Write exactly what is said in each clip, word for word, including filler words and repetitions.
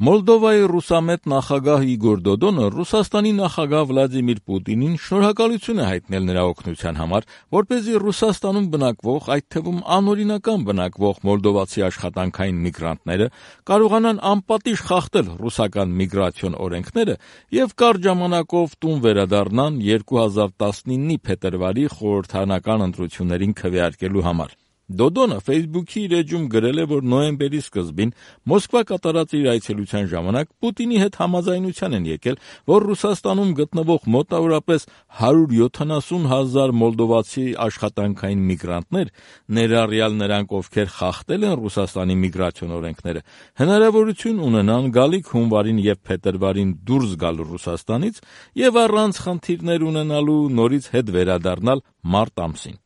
Մոլդովայի ռուսամետ նախագահ Իգոր Դոդոնը Ռուսաստանի նախագահ Վլադիմիր Պուտինին շնորհակալություն է հայտնել նրա օգնության համար, որպեսզի Ռուսաստանում բնակվող, այդ թվում անօրինական բնակվող մոլդովացի աշխատանքային միգրանտները կարողանան անպատիժ խախտել ռուսական միգրացիոն օրենքները եւ կարճ ժամանակով տուն վերադառնան երկու հազար տասնիննի փետրվարի խորհրդարանական ընտրություններին քվեարկելու համար։ Դոդոնը Facebook-ի իր էջում գրել է, որ նոյեմբերի սկզբին Մոսկվա կատարած իր այցելության ժամանակ Պուտինի հետ համաձայնության են եկել, որ Ռուսաստանում գտնվող մոտավորապես հարյուր յոթանասուն հազար մոլդովացի աշխատանքային միգրանտներ, ներառյալ նրանք, ովքեր խախտել են Ռուսաստանի միգրացիոն օրենքները, հնարավորություն ունենան գալիք հունվարին եւ փետրվարին դուրս գալ Ռուսաստանից եւ առանց խնդիրներ ունենալու նորից հետ վերադառնալ մարտ ամսին։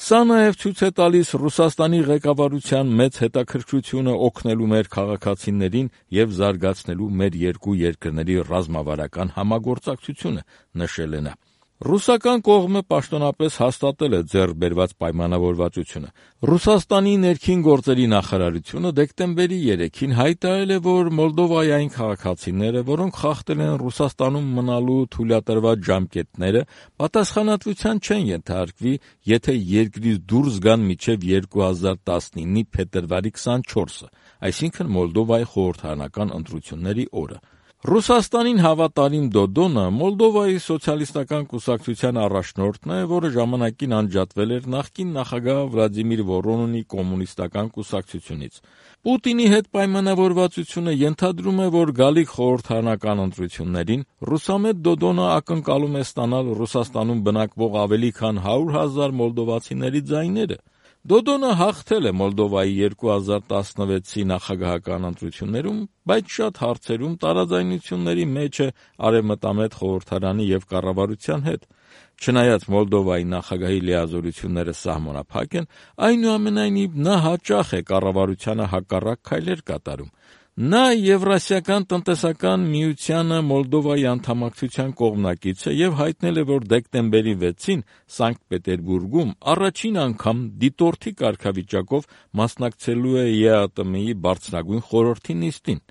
Սա նաև ցույց է տալիս Ռուսաստանի ղեկավարության մեծ հետաքրքրությունը օգնելու մեր քաղաքացիներին եւ զարգացնելու մեր երկու երկրների ռազմավարական համագործակցությունը, նշել է նա։ Ռուսական կողմը պաշտոնապես հաստատել է ձեռք բերված պայմանավորվածությունը։ Ռուսաստանի ներքին գործերի նախարարությունը դեկտեմբերի երեքին հայտարարել է, որ Մոլդովայի այն քաղաքացիները, որոնք խախտել են Ռուսաստանում մնալու թույլատրված ժամկետները, պատասխանատվության չեն ենթարկվի, եթե երկրից դուրս գան մինչև երկու հազար տասնիննի փետրվարի քսանչորսը, այսինքն Մոլդովայի խորհրդարանական ընտրությունների օրը։ Ռուսաստանին հավատարիմ Դոդոնը Մոլդովայի սոցիալիստական կուսակցության առաջնորդն է, որը ժամանակին անջատվել էր նախկին նախագահ Վլադիմիր Վորոնինի կոմունիստական կուսակցությունից։ Պուտինի հետ պայմանավորվածությունը ենթադրում է, որ գալիք խորհրդարանական ընտրություններին ռուսամետ Դոդոնը ակնկալում է ստանալ Ռուսաստանում բնակվող ավելի քան հարյուր հազար մոլդովացիների ձայները։ Դոդոնը հաղթել է Մոլդովայի երկու հազար տասնվեցի նախագահական ընտրություններում, բայց շատ հարցերում տարաձայնությունների մեջ է Արևմտամետ խորհրդարանի եւ կառավարության հետ։ Չնայած Մոլդովայի նախագահի լիազորությունները սահմանափակ են, այնուամենայնիվ նա հաճախ է կառավարությանը հակառակ քայլեր կատարում։ Նա Եվրասիական տնտեսական միությանը Մոլդովայի անդամակցության կողմնակից է եւ հայտնել է, որ դեկտեմբերի վեցին Սանկտ Պետերբուրգում առաջին անգամ դիտորդի կարգավիճակով մասնակցելու է ԵԱՏՄ-ի բարձրագույն խորհրդի նիստին։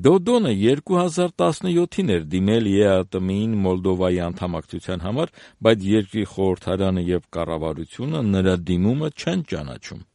Դոդոնը երկու հազար տասնյոթին էր դիմել ԵԱՏՄ-ին Մոլդովայի անդամակցության համար, բայց երկրի խորհրդարանը եւ կառավարությունը նրա դիմումը չեն ճանաչում։